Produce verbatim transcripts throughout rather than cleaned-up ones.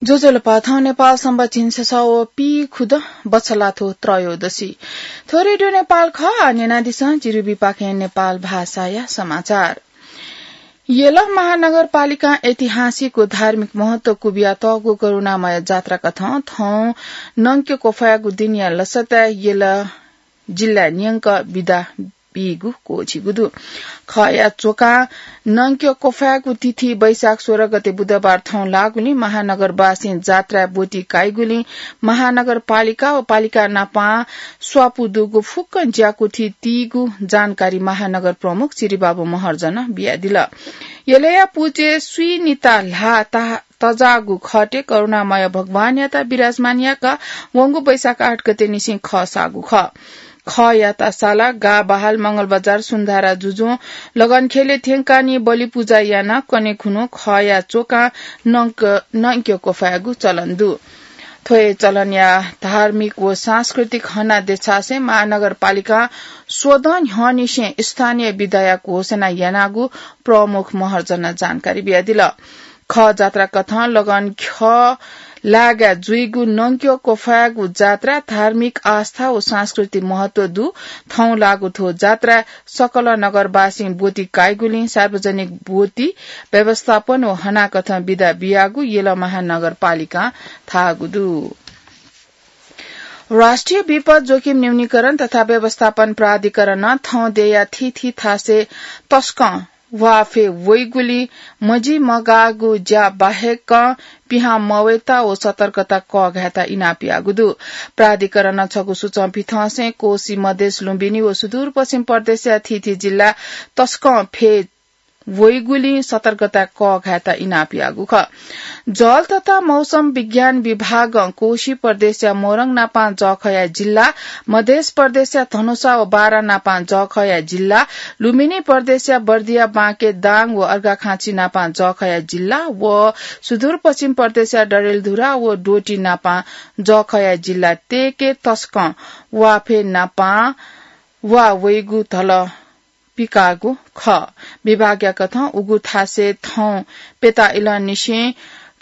ज्वजलपा, थौं नेपाल संवत् झिंछसः व पीखुदँ बछलाथ्व त्रयोदशी। थ्व रेडियो नेपाल खः, न्यनादिसँ जिरुबीपाखें नेपाल भाषाया समाचार। यल महानगरपालिकां ऐतिहासिक व धार्मिक महत्व कुबियातःगु करुणामय जात्राकथं थौं नंक्य क्वफाय्गु दिनया लसताय् यल जिल्लाय् न्यंक बिदा बीगु क्वःछिगु दु। खःया च्वकां नंक्य क्वफाय्गु तिथि वैशाख सोह्र गते बुधबार थौं लाःगुलिं महानगरवासीं जात्राय् ब्वति काइगुलिं महानगरपालिका व पालिका नापां स्वापू दुगु फुक्क ज्याकुथि तीगु जानकारी महानगर प्रमुख चिरिबाबु महर्जनं बियादिल। यलया पुचय् स्वीनिता ल्हाः तजाःगु खःतय् करुणामय भगवानयात विराजमान याकाः वंगु वैशाख आठ गते निसें खः साःगु खः। खःयात साला, गाः बहाल, मंगलबजार, सुन्धारा जुजुं लगनखेलय् थ्यंकाः निं बलिपुजा यानाः कन्हय् खुन्हु खःया च्वकां नंक, नंक्य क्वफाय्गु चलन दु। थ्व हे चलनया धार्मिक व सांस्कृतिक हना देछासें महानगरपालिकां स्वदँ न्ह्यःनिसें स्थानीय बिदाया घोषणा यानागु प्रमुख महर्जनं जानकारी बियादिल। खः जात्राकथं लगनख्यः लागाय् जुइगु नंक्य क्वफाय्गु जात्रा धार्मिक आस्था व सांस्कृतिक महत्व दु। थौं लाःगु थ्व जात्राय् सकल नगरवासीं ब्वति काइगुलिं सार्वजनिक ब्वति व्यवस्थापन व हनाकथं बिदा बियागु यल महानगरपालिकां धाःगु दु। राष्ट्रिय विपद जोखिम न्यूनीकरण तथा व्यवस्थापन प्राधिकरणं थौं देय्या थीथी थासय् तसकं ह्वाफय् वइगुलिं मजिमगाःगु ज्या बाहेकं पिहां मवयेत व सतर्कता कःघायेत इनाप याःगु दु। प्राधिकरणं छगू सूचं पिथंसें कोशी, मधेस, लुम्बिनी व सुदूरपश्चिम प्रदेशया थीथी जिल्ला तसकं फय् वइगुलिं सतर्कता कःघायेत इनाप याःगु खः। जल तथा मौसम विज्ञान विभागं कोशी प्रदेशया मोरङ नापां जःखःया जिल्ला, मधेस प्रदेशया धनुषा व बारा नापां जःखःया जिल्ला, लुम्बिनी प्रदेशया बर्दिया, बाँके, दाङ व अर्घाखाँची नापां जःखःया जिल्ला व सुदूरपश्चिम प्रदेशया डडेलधुरा व डोटी नापां जःखःया जिल्ला तय्के तसकं ह्वाफय् नापां ह्वा वइगु धल पिकाःगु खः। विभागया कथं उगु थासय् थौं प्यता इलंनिसें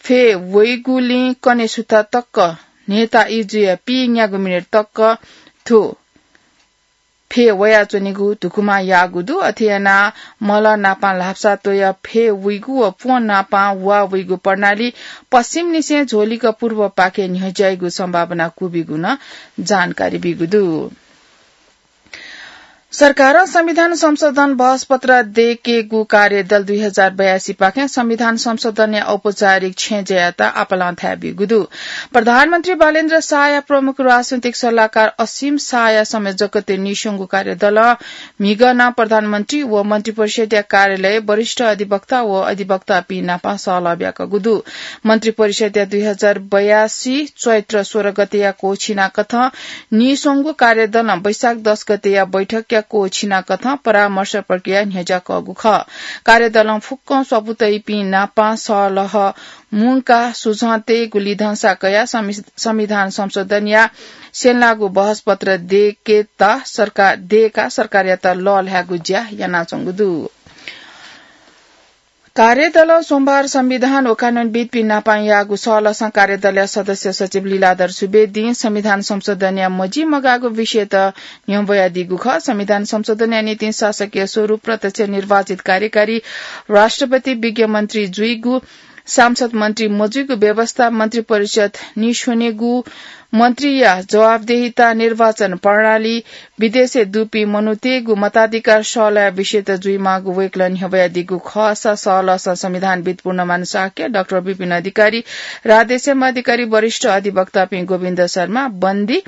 फय् वइगुलिं कन्हय् सुथ तक न्हय्ता इजुया पीन्यागू मिनेट तक थ्व फय् वयाच्वनेगु धुकुमा याःगु दु। अथे यानाः मलं नापां ल्हापसा त्वयाः फय् वइगु व प्वँ नापां ह्वा वइगु प्रणाली पश्चिमनिसें झ्वलिक पूर्वपाखे न्ह्यज्याइगु सम्भावना कुबिगु नं जानकारी बीगु दु। सरकारं संविधान संशोधन बहसपत्र दय्केगु कार्यदल दुई हजार बयासी पाखें संविधान संशोधनया औपचारिक छेँजयात आपालं थाय् बीगु दु। प्रधानमन्त्री बालेन्द्र शाहया प्रमुख राजनैतिक सल्लाहकार असीम शाहया संयोजकत्वय् नीस्वंगु कार्यदलं म्हिगः नं प्रधानमन्त्री व मन्त्रिपरिषद्या कार्यालय, वरिष्ठ अधिवक्ता व अधिवक्तापिं नाप सहलह ब्याकूगु दु। मन्त्रिपरिषद्या दुई हजार बयासी चैत्र सोह्र गतेया क्वःछिनाकथं नीस्वंगु कार्यदलं वैशाख दस गतेया बैठकया क्वःछिनाकथं परामर्श प्रक्रिया न्ह्यज्याकःगु खः। कार्यदलं फुक्कं स्वापू तइपिं नाप सहलह मुंकाः सुझं तयेगु लिधंसा कयाः संवि-, संविधान संशोधनया स्यनेलाःगु बहसपत्र दय्केत सरकार, दय्काः सरकारयात लःल्हायेगु ज्या यानाच्वंगु दु। कार्यदलं सोमबार संविधान व कानूनविद्पिं नाप याःगु सहलहसं कार्यदलया सदस्य सचिव लीलाधर सुवेदीं संविधान संशोधनया मजिमगाःगु विषयत न्ह्यब्वयादीगु खः। संविधान संशोधनया निंतिं शासकीय स्वरूप, प्रत्यक्ष निर्वाचित कार्यकारी, राष्ट्रपति, विज्ञ मन्त्री जुइगु, सांसद मन्त्री मजुइगु व्यवस्था, मन्त्रिपरिषद नीस्वनेगु, मन्त्रीया जवाफदेहिता, निर्वाचन प्रणाली, विदेशय् दुपिं मनूतय्गु मताधिकार सहलह विषयत जुइमाःगु वय्कलं न्ह्यब्वयादीगु खःसा सहलहसं संविधानविद् पूर्णमान शाक्य, डाक्टर विपिन अधिकारी, राधेश्याम अधिकारी, वरिष्ठ अधिवक्तापिं गोविन्द शर्मा, बन्दी,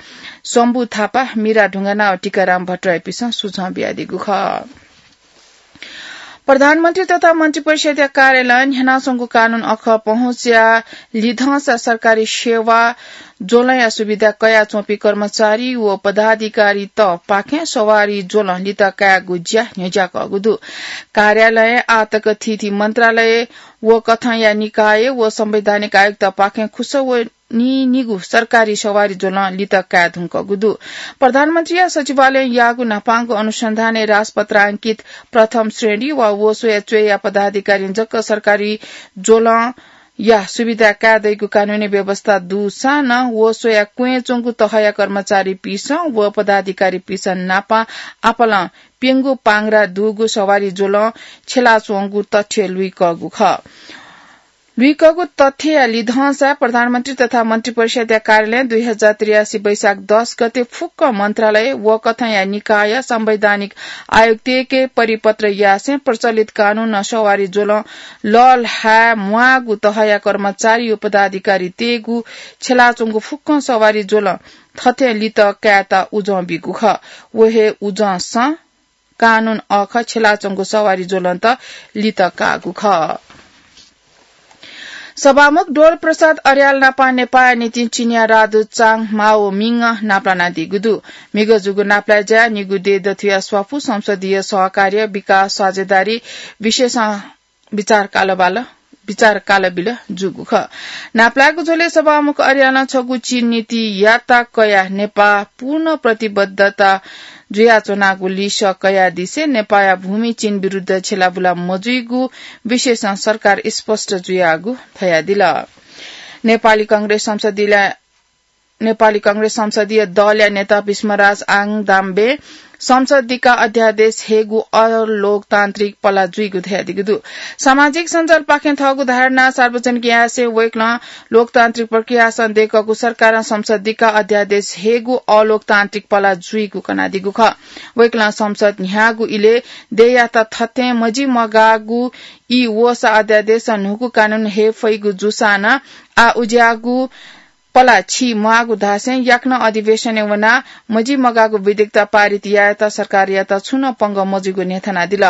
शम्भु थापा, मीरा ढुङ्गाना व टीकाराम भट्टराईपिसं सुझं बियादीगु खः। प्रधानमन्त्री तथा मन्त्रिपरिषद्या कार्यालयं न्ह्यानाच्वंगु कानून अखः पहुँचया लिधंसा सरकारी सेवा ज्वलंया सुविधा कयाच्वंपिं कर्मचारी व पदाधिकारीतपाखें सवारी ज्वलं लित कायेगु ज्या न्ह्यज्याकःगु दु। कार्यालयं आःतक थीथी मन्त्रालय व कथंया निकाय व संवैधानिक आयुक्तपाखें खुसः व नीनिगू सरकारी सवारी ज्वलं लित काये धुंकूगु दु। प्रधानमन्त्रीया सचिवालयं याःगु न्हापांगु अनुसन्धानय् राजपत्रांकित प्रथम श्रेणी वा वसोया च्वय्या पदाधिकारीं जक सरकारी ज्वलं या सुविधा कायेदइगु कानूनी व्यवस्था दुसां नं व स्वया क्वँय् च्वंगु तहया कर्मचारीपिसं व पदाधिकारीपिसं नापं आपालं प्यंगू पांग्रा दुगु सवारी ज्वलं छ्यलाच्वंगु तथ्य लुइकःगु खः। लुइकःगु तथ्यया लिधंसा प्रधानमन्त्री तथा मन्त्रिपरिषद्या कार्यालयं दुई हजार त्रियासी वैशाख दस गते फुक्क मन्त्रालय व कथंया निकाय संवैधानिक आयुक्तय्‌के परिपत्र यासें प्रचलित कानूनं सवारी ज्वलं लःल्हाये म्वाःगु तहया कर्मचारी व पदाधिकारीतय्‌गु छ्यलाच्वंगु फुक्कं सवारी ज्वलं थथे लित कायेत उजं बीगु खः। व हे उजंसं कानून अःखः छ्यलाच्वंगु सवारी ज्वलंत लित काःगु खः। सभामुख डोल प्रसाद अर्याल नापं नेपाःया निंतिं चिनियाँ राजदूत चाङ माओमिङ नापलानादीगु दु। म्हिगः जूगु नापलाये ज्याय् निगू देय् दथुया स्वापू संसदीय सहकार्य, विकास, साझेदारी विषयसं विचार कालबाल, विचार कालबिल जूगु खः। नापलायेगु झ्वलय् सभामुख अर्यालं छगू चीन नीतियात कयाः नेपाः पूर्ण प्रतिबद्धता जुयाच्वनागु लिसः कयादिसें नेपाःया भूमि चीन विरुद्ध छ्यलाबुला मजुइगु विषयसं सरकार स्पष्ट जुयागु धयादिल। नेपाली कांग्रेस संसदीय नेपाली कांग्रेस संसदीय दलया नेता भीष्मराज आङदाम्बे संसदिका अध्यादेश हयेगु अलोकतान्त्रिक पला जुइगु धयादीगु दु। सामाजिक सञ्जालपाखें थःगु धारणा सार्वजनिक यासें वय्‌कलं लोकतान्त्रिक प्रक्रियासं दय्‌कःगु सरकारं संसदिका अध्यादेश हयेगु अलोकतान्त्रिक पला जुइगु कनादीगु खः। वय्‌कलं संसद न्ह्याःगु इलय् देय्‌यात थथें मजिमगाःगु ई वःसा अध्यादेशं न्हूगु कानून हये फइगु जूसां नं आः उज्याःगु पला छि म्वाःगु धासें याकनं अधिवेशनय् वनाः मजिमगाःगु विधेयकत पारित यायेत सरकारयात छुं नं पंगः मजुइगु न्ह्यथनादिल।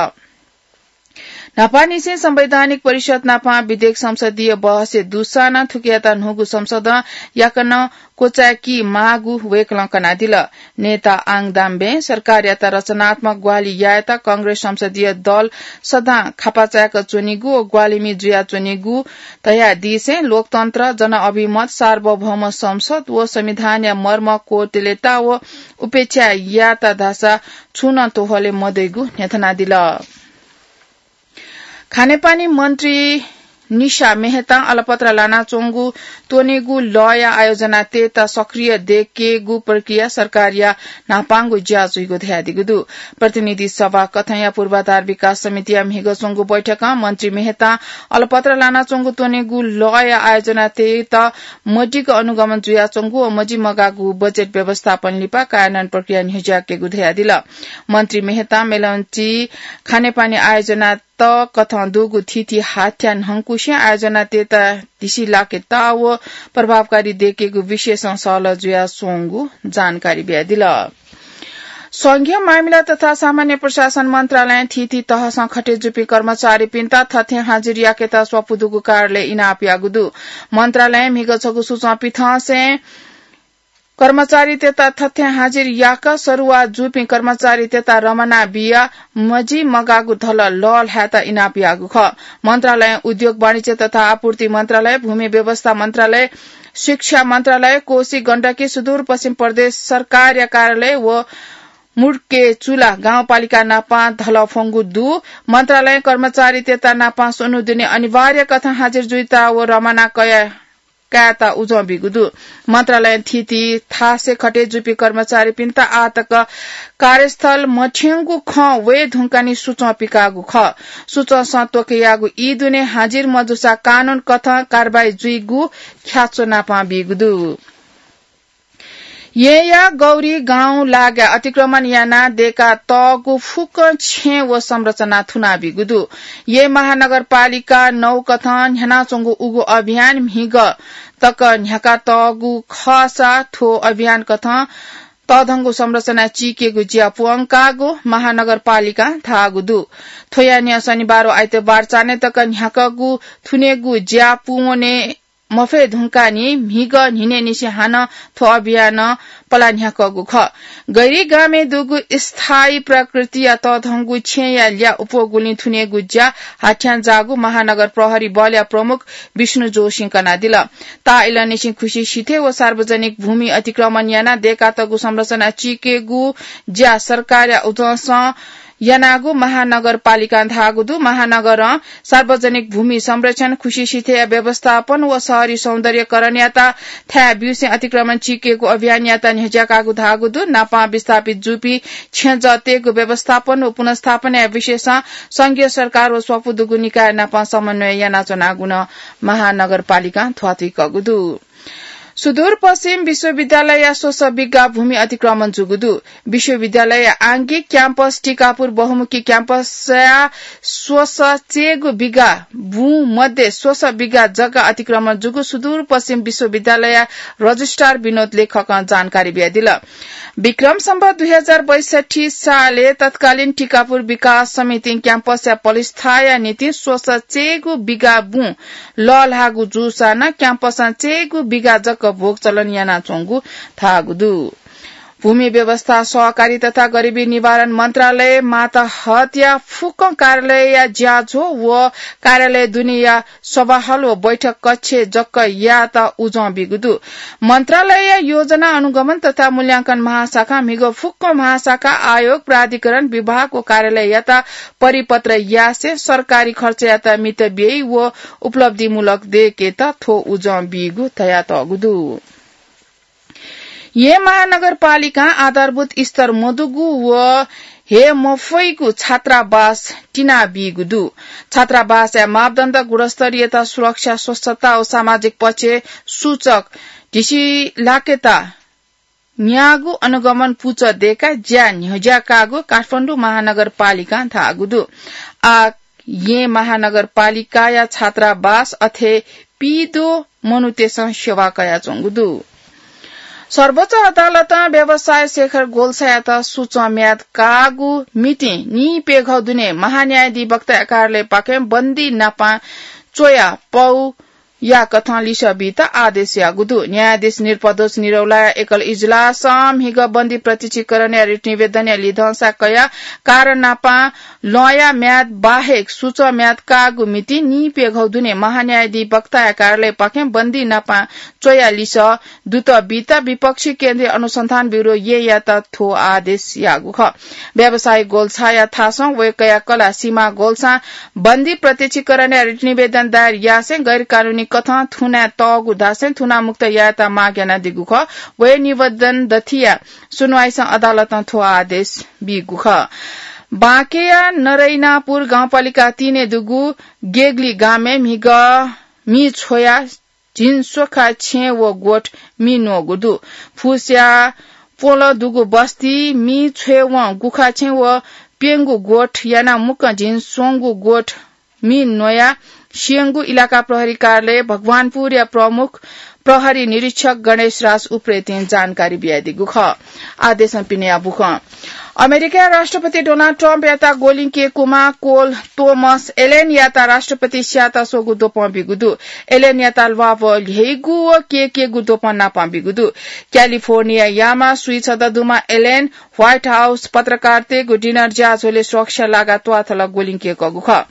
न्हापांनिसें संवैधानिक परिषद नापं विधेयक संसदीय बहसय् दुसां नं थुकियात न्हूगु संसदं याकनं क्वचाय्‌की माःगु वय्‌कलं कनादिल। नेता आङदाम्बें सरकारयात रचनात्मक ग्वाहालि यायेत कांग्रेस संसदीय दल सदां खापा चाय्‌क च्वनीगु व ग्वाहालिमि जुयाच्वनीगु धयादीसें लोकतन्त्र, जनअभिमत, सार्वभौम संसद व संविधानया मर्म कोर्दलेता व उपेक्षा यात धाःसा छुं नं त्वहले मदइगु न्ह्यथनादिल। खानेपानी मन्त्री निशा मेहतां अलपत्र लानाच्वंगु त्वनेगु लःया आयोजनातय्‌त सक्रिय दय्‌केगु प्रक्रिया सरकारया न्हापांगु ज्या जुइगु धयादीगु दु। प्रतिनिधि सभा कथंया पूर्वाधार विकास समितिया म्हिगः च्वंगु बैठकं मन्त्री मेहतां अलपत्र लानाच्वंगु त्वनेगु लःया आयोजनातय्‌त मदिक्क अनुगमन जुयाच्वंगु व मजिमगाःगु बजेट व्यवस्थापन लिपा कार्यान्वयन प्रक्रिया न्ह्यज्याकेगु धयादिल। मन्त्री मेहतां मेलम्ची खानेपानी आयोजना त कथं दुगु थीथी हाथ्या न्हंकुसें आयोजनातय्‌त धिसिलाकेत व प्रभावकारी दय्‌केगु विषयसं सहलह जुयाच्वंगु जानकारी बियादिल। संघीय मामिला तथा सामान्य प्रशासन मन्त्रालयं थीथी तहसं खटे जूपिं कर्मचारीपिन्त थथें हाजिर याकेत स्वापू दुगु कार्यालयं इनाप याःगु दु। मन्त्रालयं म्हिगः छगू सूचना पिथंसें कर्मचारीतय्‌त थथें हाजिर याक सरुवा जूपिं कर्मचारीतय्‌त रवाना बियाः मजिमगाःगु धलः लःल्हायेत इनाप याःगु खः। मन्त्रालयं उद्योग, वाणिज्य तथा आपूर्ति मन्त्रालय, भूमि व्यवस्था मन्त्रालय, शिक्षा मन्त्रालय, कोशी, गण्डकी, सुदूरपश्चिम प्रदेश सरकारया कार्यालय व मुड्केचुला गाउँपालिका नापं धलः फ्वंगु दु। मन्त्रालयं कर्मचारीतय्‌त नापं स्वन्हु दुने अनिवार्य कथं हाजिर जुइत व रवाना कया कायेत उजं बीगु दु। मन्त्रालयं थीथी थासय् खटे जूपिं कर्मचारीपिन्त आः तक कार्यस्थल मथ्यंगु खँ वये धुंकाः नि सूचं पिकाःगु खः। सूचंसं त्वःके याःगु ई दुने हाजिर मजूसा कानून कथं कारवाही जुइगु ख्याच्वः नापं बीगु दु। येँया गौरी गाउँ लागाय् अतिक्रमण यानाः दय्‌का तःगु फुक्क छेँ व संरचना थुनाबीगु दु। येँ महानगरपालिका नौ कथं न्ह्यानाच्वंगु उगु अभियान म्हिगः तक न्ह्याका तःगु खःसा थ्व अभियान कथं तःधंगु संरचना चीकेगु ज्या पूवंकागु महानगरपालिकां धाःगु दु। थ्वया न्ह्यः शनिबार व आइतबार चान्हय् तक न्ह्याकागु थुनेगु ज्या पूवने मफये धुंकाः नि म्हिगः न्हिनय्‌निसें हानं थ्व अभियानं पला न्ह्याकःगु खः। गैरी गामय् दुगु स्थायी प्रकृतिया तःधंगु छेँया ल्याः अप्वःगुलिं थुनेगु ज्या हाथ्यां जाःगु महानगर प्रहरी बलया प्रमुख विष्णु जोशीं कनादिल। ताःइलंनिसें खुसि सिथय् व सार्वजनिक भूमि अतिक्रमण यानाः दय्‌कातःगु संरचना चीकेगु ज्या सरकारया उजंसं यानागु महानगरपालिकां धाःगु दु। महानगरं सार्वजनिक भूमि संरक्षण, खुसी सिथय्‌या व्यवस्थापन व शहरी सौन्दर्यकरणयात थाय् ब्यूसें अतिक्रमण चिकेगु अभियानयात न्ह्यज्याकागु धाःगु दु। नापं विस्थापित जूपिं छेँजःतय्‌गु व्यवस्थापन व पुनर्स्थापनाया विषयसं संघीय सरकार व स्वापू दुगु निकाय नाप समन्वय यानाच्वनागु नं महानगरपालिकां ध्वाथुइकःगु दु। सुदूरपश्चिम विश्वविद्यालयया स्वसः बिघा भूमि अतिक्रमण जूगु दु। विश्वविद्यालयया आंगिक क्याम्पस टिकापुर बहुमुखी क्याम्पसया स्वसः चय्‌गु बिघा बुँ मध्ये स्वसः बिघा जग्गा अतिक्रमण जूगु सुदूरपश्चिम विश्वविद्यालयया रजिस्ट्रार विनोद लेखकं जानकारी बियादिल। विक्रम सम्वत दुई हजार बैसठी सालय् तत्कालीन टिकापुर विकास समितिं क्याम्पसया पलिस्थाया निंतिं स्वसः चय्‌गु बिघा बुँ लःल्हाःगु जूसां नं क्याम्पसं चय्‌गु बिघा जक भोग चलन यानाच्वंगु धाःगु दु। भूमि व्यवस्था, सहकारी तथा गरिबी निवारण मन्त्रालय मातहतया फुक्क कार्यालयया ज्याझ्वः व कार्यालय दुनेया सभाहल व बैठक कक्षय् जक यायेत उजं बीगु दु। मन्त्रालयया योजना अनुगमन तथा मूल्यांकन महाशाखां म्हिगः फुक्क महाशाखा, आयोग, प्राधिकरण, विभाग व कार्यालययात परिपत्र यासें सरकारी खर्चयात मित ब्यइ व उपलब्धिमूलक दय्‌केत थ्व उजं बीगु धयातःगु दु। येँ महानगरपालिकां आधारभूत स्तर मदुगु व हये मफइगु छात्रावास तिनाबीगु दु। छात्रावासया मापदण्ड, गुणस्तरीयता, सुरक्षा, स्वच्छता व सामाजिक पक्षय् सूचक ढिसिलाकेत न्यागू अनुगमन पुचः दय्‌काः ज्या न्ह्यज्याकागु काठमाडौं महानगरपालिकां धाःगु दु। आः येँ महानगरपालिकाया छात्रावास अथे पीद्वः मनूतय्‌सं सेवा कयाच्वंगु दु। सर्वोच्च अदालतं व्यवसायी शेखर गोल्छायात सुचं म्याद काःगु मितिं नीप्यघौ दुने महान्यायाधिवक्ताया कार्यालयपाखें बन्दी नापां च्वया पौ याकथं लिसः बीत आदेश याःगु दु। न्यायाधीश नृपदोष निरौलाया एकल इजलासं म्हिगः बन्दी प्रत्यक्षीकरणया रिट निवेदनया लिधंसा कयाः कारण नापां लँया म्याद बाहेक सुचं म्याद काःगु मितिं नीप्यघौ दुने महान्यायाधिवक्ताया कार्यालयपाखें बन्दी नापां च्वया लिसः दुत बीत विपक्षी केन्द्रीय अनुसन्धान ब्यूरो येँयात थ्व आदेश याःगु खः। व्यवसायी गोल्छाया थासं वय्‌कःया कलाः सीमा गोल्छां बन्दी प्रत्यक्षीकरणया रिट निवेदन दायर यासें गैरकानूनी कथं थुनातःगु धासें थुनामुक्त यायेत माग यानादीगु खः। वय् निवेदन दथिया सुनवाईसं अदालतं थ्व आदेश बीगु खः। बाँकेया नरैनापुर गाउँपालिका तीनय् दुगु गेगली गामय् म्हिगः मि छ्वया झिंस्वखा छेँ व गोठ मि न्वःगु दु। फुसया प्वलं दुगु बस्ती मि छ्वय्‌वं गुखा छेँ व प्यंगू गोठ यानाः मुक्कं झिंस्वंगू गोठ मि न्वयाः स्यंगू इलाका प्रहरी कार्यालय भगवानपुरया प्रमुख प्रहरी निरीक्षक गणेश राज उप्रेतीं जानकारी बियादीगु खः। आः देशं पिनेया बुखँ। अमेरिकाया राष्ट्रपति डोनाल्ड ट्रम्पयात ग्वलिं केकुमा कोल तोमस एलेनयात राष्ट्रपति स्यायेत स्वःगु द्वपं बीगु दु। एलेनयात ल्वापु ल्ह्यइगु व केकेगु द्वपं नापं बीगु दु। क्यालिफोर्नियायाम्ह स्वीछदँ दुम्ह एलेन व्हाइट हाउस पत्रकारतय्‌गु डिनर ज्याझ्वलय् सुरक्षा लागाः त्वाथल ग्वलिं केकःगु खः।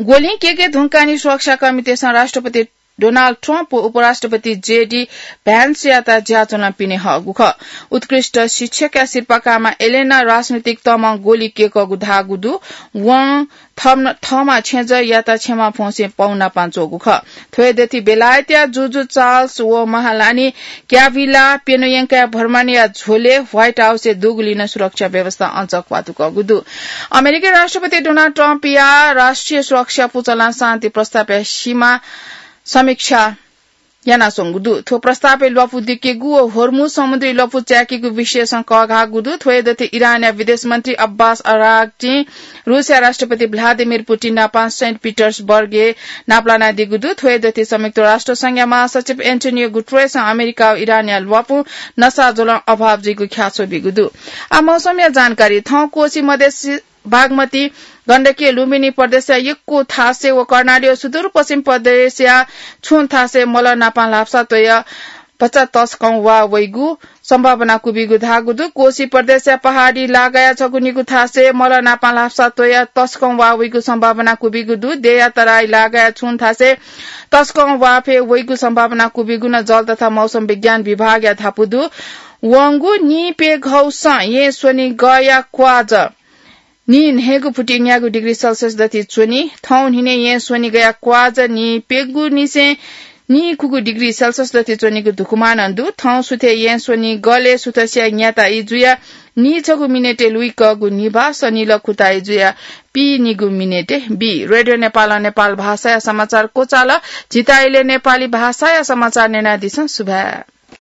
ग्वलिं केके धुंकाः नि सुरक्षाकर्मीतय्‌सं राष्ट्रपति डोनाल्ड ट्रम्प व उपराष्ट्रपति जेडी भ्यान्सयात ज्याझ्वलं पिने हःगु खः। उत्कृष्ट शिक्षकया सिरपाः काःम्ह एलेनं राजनैतिक तमं ग्वलि केकःगु धाःगु दु। वं थम-, थःम्हं छेँजःयात क्षमा फ्वंसें पौ नापां च्वःगु खः। थ्व हे दथि बेलायतया जुजु चार्ल्स व महारानी क्याभिला प्यन्हु यंकाः भ्रमणया झ्वलय् व्हाइट हाउसय् दुगुलिं नं सुरक्षा व्यवस्था अझ क्वातुकःगु दु। अमेरिकी राष्ट्रपति डोनाल्ड ट्रम्पया राष्ट्रिय सुरक्षा पुचलं शान्ति प्रस्तावया सीमा समीक्षा यानाच्वंगु दु। थ्व प्रस्तावय् ल्वापु दिकेगु व होर्मुज समुद्री लँपु चाय्‌केगु विषयसं कःघाःगु दु। थ्व हे दथि इरानया विदेश मन्त्री अब्बास अराग्चीं रूसया राष्ट्रपति भ्लादिमिर पुतिन नाप सेन्ट पिटर्सबर्गय् नापलानादीगु दु। थ्व हे दथि संयुक्त राष्ट्र संघया महासचिव एन्टोनियो गुटरेसं अमेरिका व इरानया ल्वापुं नसा ज्वलं अभाव जुइगु ख्याच्वः बीगु दु। आः मौसमया जानकारी। थौं कोशी मधेस बागमती, गण्डकी, लुम्बिनी प्रदेशया यक्व थासय् व कर्णाली व सुदूरपश्चिम प्रदेशया छुं थासय् मलः नापं ल्हापसा त्वय् भचा तसकं वा वइगु सम्भावना क्वबिगु धाःगु दु। कोशी प्रदेशया पहाडी लागाया छगू निगू थासय् मलः नापं ल्हापसा त्वय् तसकं वा वइगु सम्भावना क्वबिगु दु। देया तराई लागाया छुं थासय् तसकं वा फय् वइगु सम्भावना क्वबिगु नं जल तथा मौसम विज्ञान विभागया धापू दु। वंगु नीप्यघौसं येँ स्वनिगःया क्वाज नीन्हय्गु फुति न्यागू डिग्री सेल्सियस दति च्वनी। थौं न्हिनय् येँ स्वनिगया क्वाजा नीप्यंगुनिसें नीकुगु डिग्री सेल्सियस दति च्वनीगु धुकुमानं दु। थौं सुथय् येँ स्वनिगलय् सुथसिया न्याताइ जुया नीछगू मिनेटय् लुइकःगु निभाः सनिलकुताइ जुया पीनिगू मिनेटय् बी। रेडियो नेपालं नेपाल भाषाया समाचार क्वचाल। झीत इलय् नेपाली भाषाया समाचार न्यनादिसँ। सुभाय्।